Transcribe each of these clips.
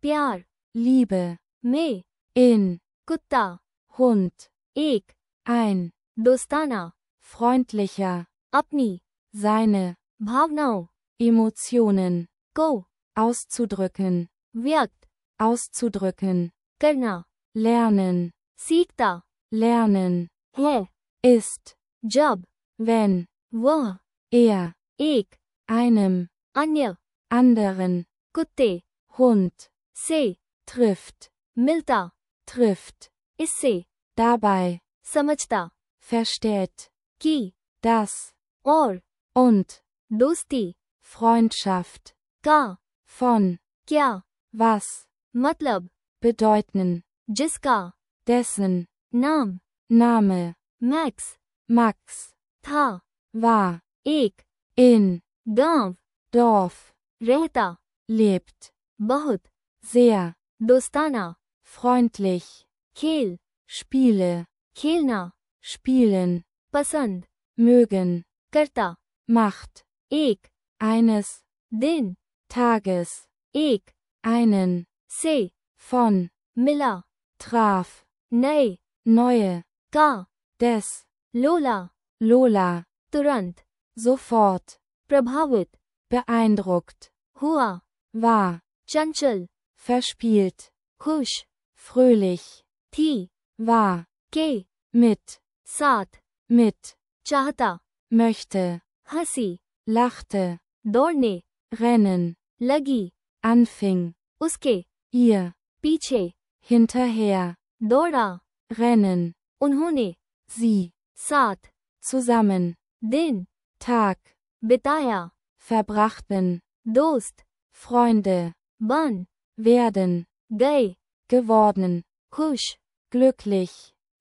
प्यार, Liebe, में, in, कुत्ता, Hund, एक, ein, दोस्ताना, freundlicher, अपनी, seine, भावनाओं, Emotionen, को, auszudrücken, व्यक्त, auszudrücken, करना, lernen, सीखता, lernen, है, ist, जब, wenn, वह, er, एक, einem, अन्य, anderen, कुत्ते, Hund, से, trifft, मिलता, trifft, इससे, dabei, समझता, versteht, कि, das, और, und, दोस्ती, Freundschaft, का, von, क्या, was, मतलब, bedeuten, जिसका, dessen, नाम, Name, मैक्स, Max, था, war, एक, in, गांव, Dorf, रहता, lebt, बहुत, sehr, दोस्ताना, freundlich, खेल, Spiele, खेलना, spielen, पसंद, mögen, करता, macht, एक, eines, दिन, Tages, एक, einen, से, von, मिला, traf, नए, neue, का, des, लोला, Lola, तुरंत, sofort, प्रभावित, beeindruckt, हुआ, war, चंचल, verspielt, खुश, fröhlich, थी, war, के, mit, साथ, mit, चाहता, möchte, हंसी, lachte, दौड़ने, rennen, लगी, anfing, उसके, ihr, पीछे, hinterher, दौड़ा, rennen, उन्होंने, sie, साथ, zusammen, दिन, Tag, बिताया, verbrachten, दोस्त, Freunde, बन, werden, गए, geworden, खुश, glücklich,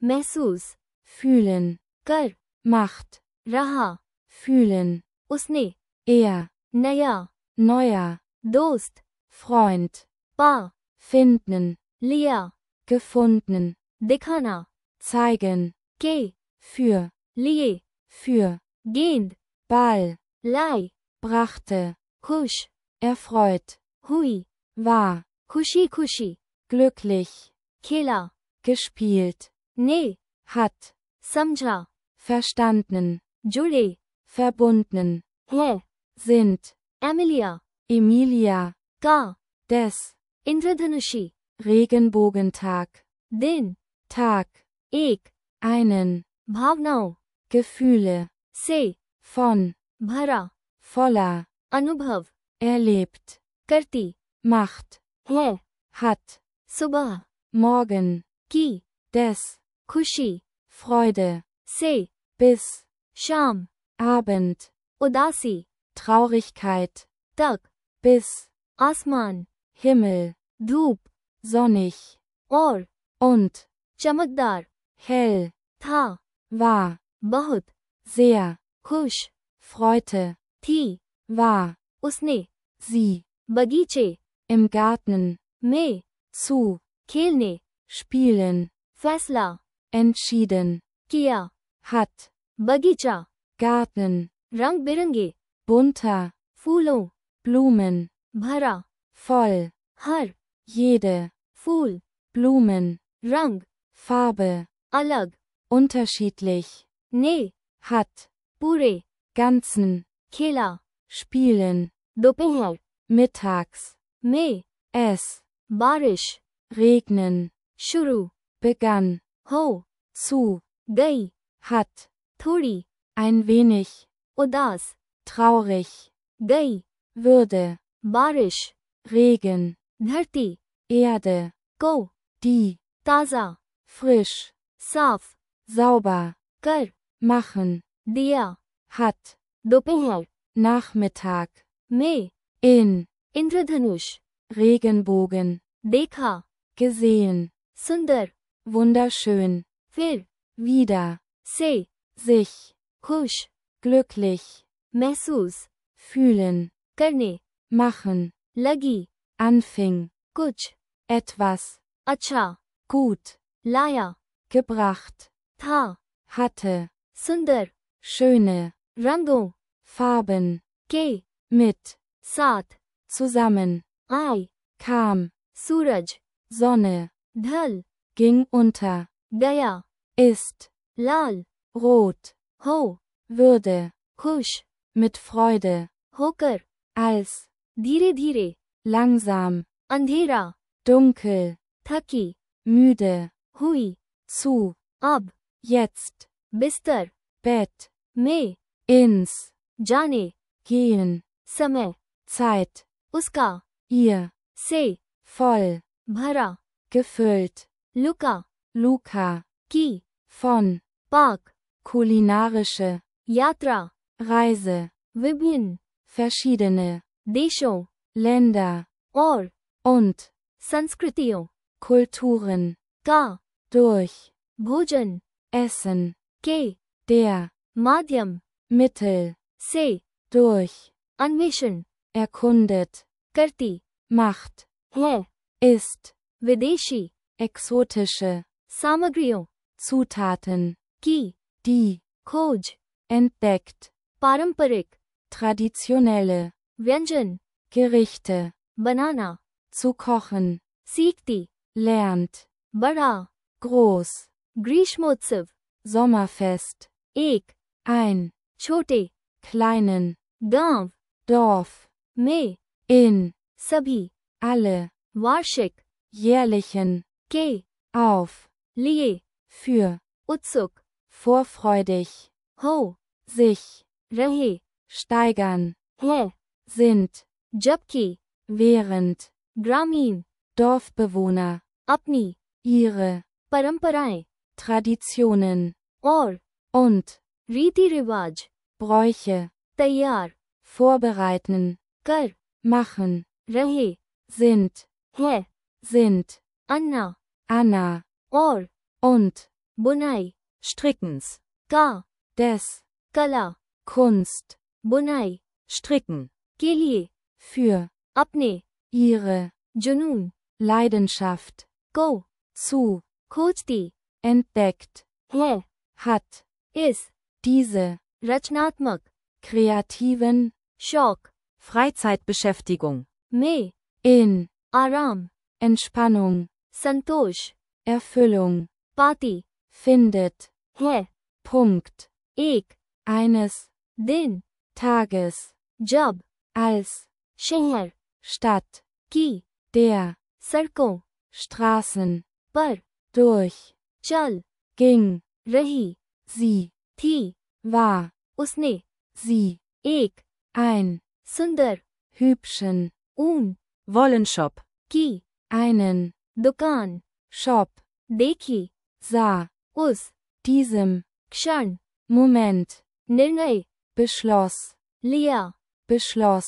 महसूस, fühlen, कर, macht, रहा, fühlen, उसने, er, नया, neuer, दोस्त, Freund, पा, finden, लिया, gefunden, दिखाना, zeigen, के, für, लिए, für, गेंद, Ball, लाई, brachte, खुश, erfreut, हुई, war, खुशी खुशी, glücklich, खेला, gespielt, ने, hat, समझा, verstanden, जुड़े, verbunden, है, sind, एमिलिया, Emilia, का, des, इंद्रधनुषी, Regenbogentag, दिन, Tag, एक, einen, भावनाओं, Gefühle, से, von, भरा, voller, अनुभव, erlebt, करती, macht, है, hat, सुबह, morgen, की, des, खुशी, Freude, से, bis, शाम, Abend, उदासी, Traurigkeit, तक, bis, आसमान, Himmel, धूप, sonnig, और, und, चमकदार, hell, था, war, बहुत, sehr, खुश, freute, थी, war, उसने, sie, बगीचे, im Garten, में, zu, खेलने, spielen, फैसला, entschieden, किया, hat, बगीचा, Garten, रंग बिरंगे, bunter, फूलों, Blumen, भरा, voll, हर, jede, फूल, Blumen, रंग, Farbe, अलग, unterschiedlich, ने, hat, पूरे, ganzen, खेला, spielen, दोपहर, mittags, में, es, बारिश, regnen, शुरू, begann, हो, zu, गई, hat, थोड़ी, ein wenig, उदास, traurig, गई, würde, बारिश, Regen, धरती, Erde, को, die, ताजा, frisch, साफ, sauber, कर, machen, दिया, hat, दोपहर, Nachmittag, में, in, इंद्रधनुष, Regenbogen, देखा, gesehen, सुंदर, wunderschön, फिर, wieder, से, sich, खुश, glücklich, महसूस, fühlen, करने, machen, लगी, anfing, कुछ, etwas, अच्छा, gut, लाया, gebracht, था, hatte, सुंदर, schöne, रंगों, Farben, के, mit, साथ, zusammen, आई, kam, सूरज, Sonne, ढल, ging unter, गया, ist, लाल, rot, हो, würde, खुश, mit Freude, होकर, als, धीरे धीरे, langsam, अंधेरा, dunkel, थकी, müde, हुई, zu, अब, jetzt, बिस्तर, Bett, में, ins, जाने, gehen, समय, Zeit, उसका, ihr, से, voll, भरा, gefüllt, लुका, Luca, की, von, पाक, kulinarische, यात्रा, Reise, विभिन्न, verschiedene, देशों, Länder, और, und, संस्कृतियों, Kulturen, का, durch, भोजन, Essen, के, der, माध्यम, Mittel, से, durch, अन्वेषण, erkundet, करती, macht, है, ist, विदेशी, exotische, सामग्रियों, Zutaten, की, die, खोज, entdeckt, पारंपरिक, traditionelle, व्यंजन, Gerichte, बनाना, zu kochen, सीखती, lernt, बड़ा, groß, ग्रीष्मोत्सव, Sommerfest, एक, ein, छोटे, kleinen, गांव, Dorf, में, in, सभी, alle, वार्षिक, jährlichen, के, auf, लिए, für, उत्सुक, vorfreudig, हो, sich, रहे, steigern, है, sind, जबकि, während, ग्रामीण, Dorfbewohner, अपनी, ihre, परंपराएं, Traditionen, और, und, रीति रिवाज, Bräuche, तैयार, vorbereiten, कर, machen, रहे, sind, है, sind, अन्ना, Anna, और, und, बुनाई, Strickens. का, des, कला, Kunst, बुनाई, Stricken. के लिए, für, अपने, ihre, जुनून, Leidenschaft, को, zu, खोजती, entdeckt, है, hat, इस, diese, रचनात्मक, kreativen, शौक, Freizeitbeschäftigung. में, in, आराम, Entspannung, संतोष, Erfüllung, पाती, findet, है, Punkt, एक, eines, दिन, Tages, जब, als, शहर, Stadt, की, der, सड़कों, Straßen, पर, durch, चल, ging, रही, sie, थी, war, उसने, sie, एक, ein, सुंदर, hübschen, ऊन, Wollenshop. की, einen, दुकान, Shop, देखी, sah, उस, diesem, क्षण, Moment, निर्णय, beschloss, लिया, beschloss,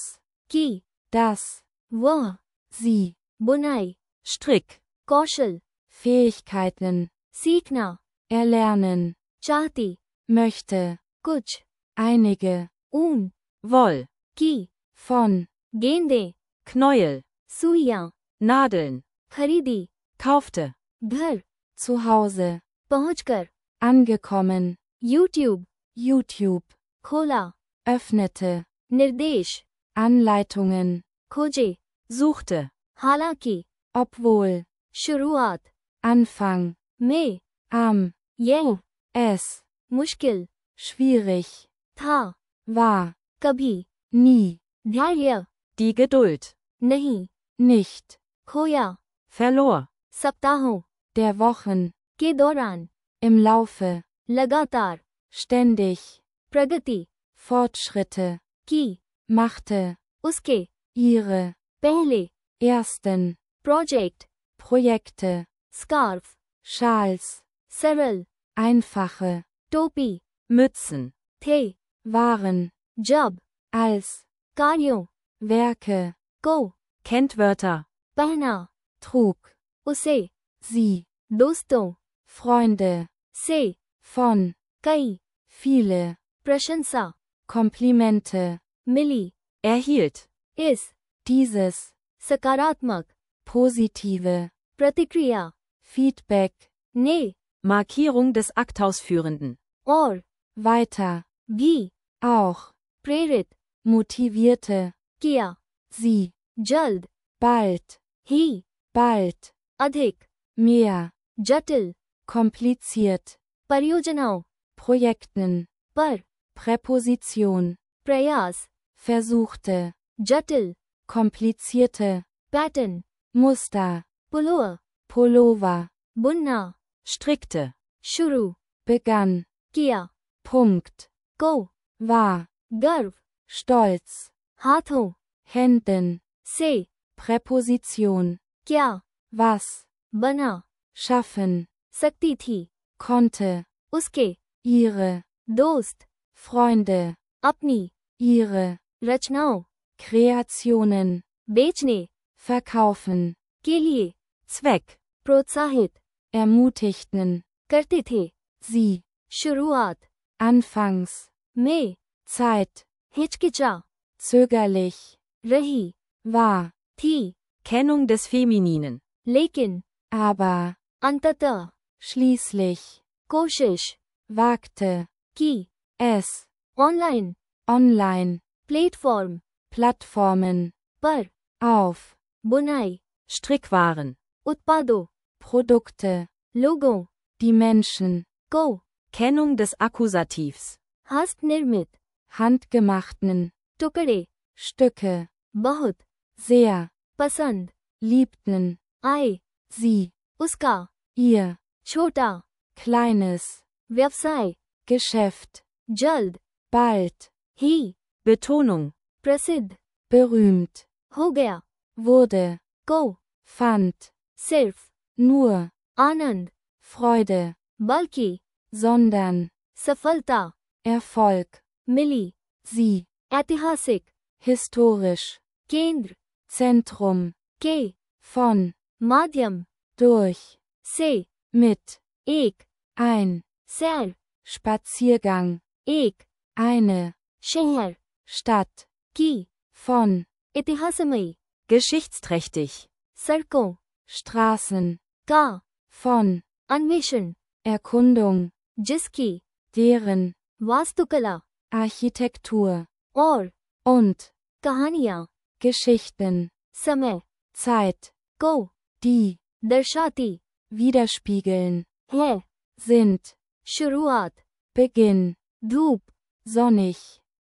की, dass, वह, sie, बुनाई, Strick. कौशल, Fähigkeiten, सीखना, erlernen, चाहती, möchte, कुछ, einige, ऊन, Woll. की, von, गेंदे, Knäuel. सुइयां, Nadeln. खरीदी, Kaufte. घर, zu Hause, पहुंचकर, angekommen, यूट्यूब, YouTube, खोला, öffnete, निर्देश, Anleitungen, खोजे, Suchte. हालांकि, obwohl, शुरुआत, Anfang, में, am, यह, es, मुश्किल, schwierig, था, war, कभी, nie, धैर्य, Die Geduld. नहीं, nicht, खोया, Verlor. सप्ताहों, der Wochen, के दौरान, im Laufe, लगातार, ständig, प्रगति, Fortschritte, की, machte, उसके, ihre, पहले, ersten, project, Projekte, scarf, Schals, सरल, einfache, टोपी, Mützen. थे, waren, जब, als, कार्यों, Werke, को, Kennwörter. पहना, trug, उसे, sie, दोस्तों, Freunde, से, von, कई, viele, प्रशंसा, Komplimente, मिली, Erhielt. इस, dieses, सकारात्मक, positive, प्रतिक्रिया, Feedback, ने, Markierung des Aktausführenden. और, weiter, भी, auch, प्रेरित, motivierte, किया, sie, जल्द, bald, ही, bald, अधिक, mehr, जटिल, kompliziert, परियोजनाओं, Projekten, पर, Präposition, प्रयास, versuchte, जटिल, komplizierte, पैटर्न, Muster, पुलोअ, Pullover, बुनना, strickte, शुरू, begann, किया, Punkt, को, war, गर्व, stolz, हाथों, Händen, से, Präposition, क्या, was, बना, schaffen, सकती थी, konnte, उसके, ihre, दोस्त, Freunde, अपनी, ihre, रचनाओं, Kreationen, बेचने, verkaufen, के लिए, Zweck, प्रोत्साहित, ermutigten, करते थे, sie, शुरुआत, anfangs, में, Zeit, हिचकिचा, zögerlich, रही, war, थी, Kennung des Femininen, लेकिन, aber, अंततः, schließlich, कोशिश, wagte, की, es, online, online, platform, Plattformen, पर, auf, बुनाई, Strickwaren, उत्पादों, Produkte, लोगों, die Menschen, को, Kennung des Akkusativs, हस्त निर्मित, handgemachten, टुकड़े, Stücke, बहुत, sehr, पसंद, liebten, आए, sie, उसका, ihr, छोटा, kleines, व्यवसाय, Geschäft, जल्द, bald, ही, Betonung, प्रसिद्ध, berühmt, हो गया, wurde, को, fand, सिर्फ, nur, आनंद, Freude, बल्कि, sondern, सफलता, Erfolg, मिली, sie, ऐतिहासिक, historisch, केंद्र, Zentrum, के, von, माध्यम, durch, से, mit, एक, ein, सैर, Spaziergang, एक, eine, शहर, Stadt, की, von, इतिहासमयी, geschichtsträchtig, सड़कों, Straßen, का, von, अन्वेषण, Erkundung, जिसकी, deren, वास्तुकला, Architektur, और, und, कहानियाँ, Geschichten, समय, Zeit, को, die, दर्शाती, widerspiegeln, है, sind, शुरुआत, Beginn, धूप, sonnig,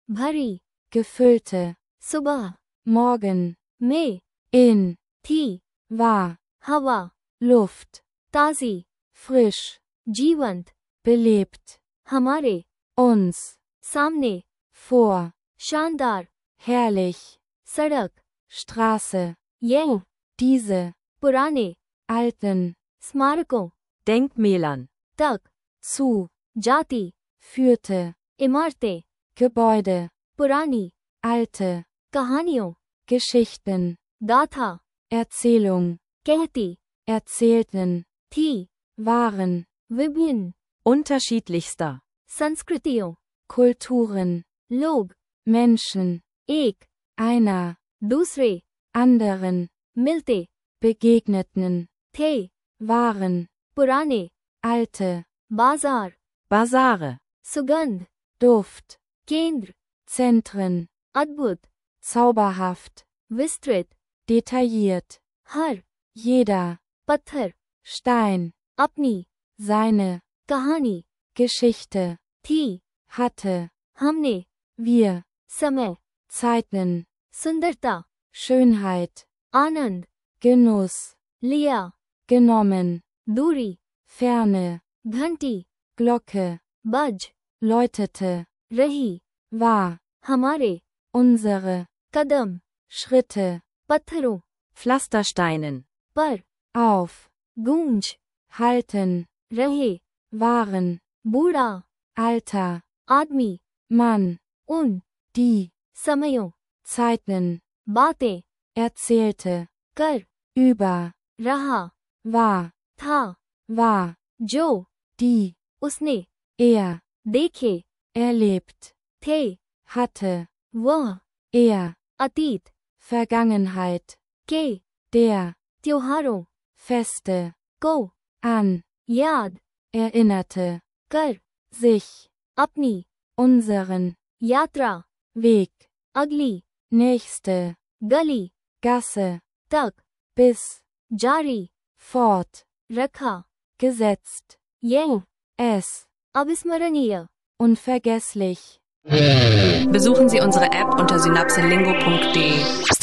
भरी, gefüllte, सुबह, morgen, में, in, थी, war, हवा, Luft, ताजी, frisch, जीवंत, belebt, हमारे, uns, सामने, vor, शानदार, herrlich, सड़क, Straße, यह, diese, पुराने, alten, स्मारकों, Denkmälern, तक, zu, जाति, führte, इमारतें, Gebäude, पुरानी, alte, कहानियों, Geschichten, गाथा, Erzählung, कहती, erzählten, थी, waren, विभिन्न, unterschiedlichster, संस्कृतियों, Kulturen, लोग, Menschen, एक, einer, दूसरे, anderen, मिलते, begegneten, थे, waren, पुराने, alte, बाजार, Basare, सुगंध, Duft, केंद्र, Zentren, अद्भुत, zauberhaft, विस्तृत, detailliert, हर, jeder, पत्थर, Stein, अपनी, seine, कहानी, Geschichte, थी, hatte, हमने, wir, समय, Zeiten, सुंदरता, Schönheit, आनंद, Genuss, लिया, genommen, दूरी, Ferne, घंटी, Glocke, बज, läutete, रही, war, हमारे, unsere, कदम, Schritte, पत्थरों, Pflastersteinen, पर, auf, गूंज, halten, रहे, waren, बूढ़ा, Alter, आदमी, Mann, उन, die, समयों, Zeiten, बातें, erzählte, कर, über, रहा, war, था, war, जो, die, उसने, er, देखे, erlebt, थे, hatte, वह, er, अतीत, Vergangenheit, के, der, त्योहारों, Feste, को, an, याद, erinnerte, कर, sich, अपनी, unseren, यात्रा, Weg, अगली, nächste, गली, Gasse, तक, bis, जारी, fort, रखा, gesetzt, यंग, es, अविस्मरणीय. unvergesslich. Besuchen Sie unsere App unter synapselingo.de.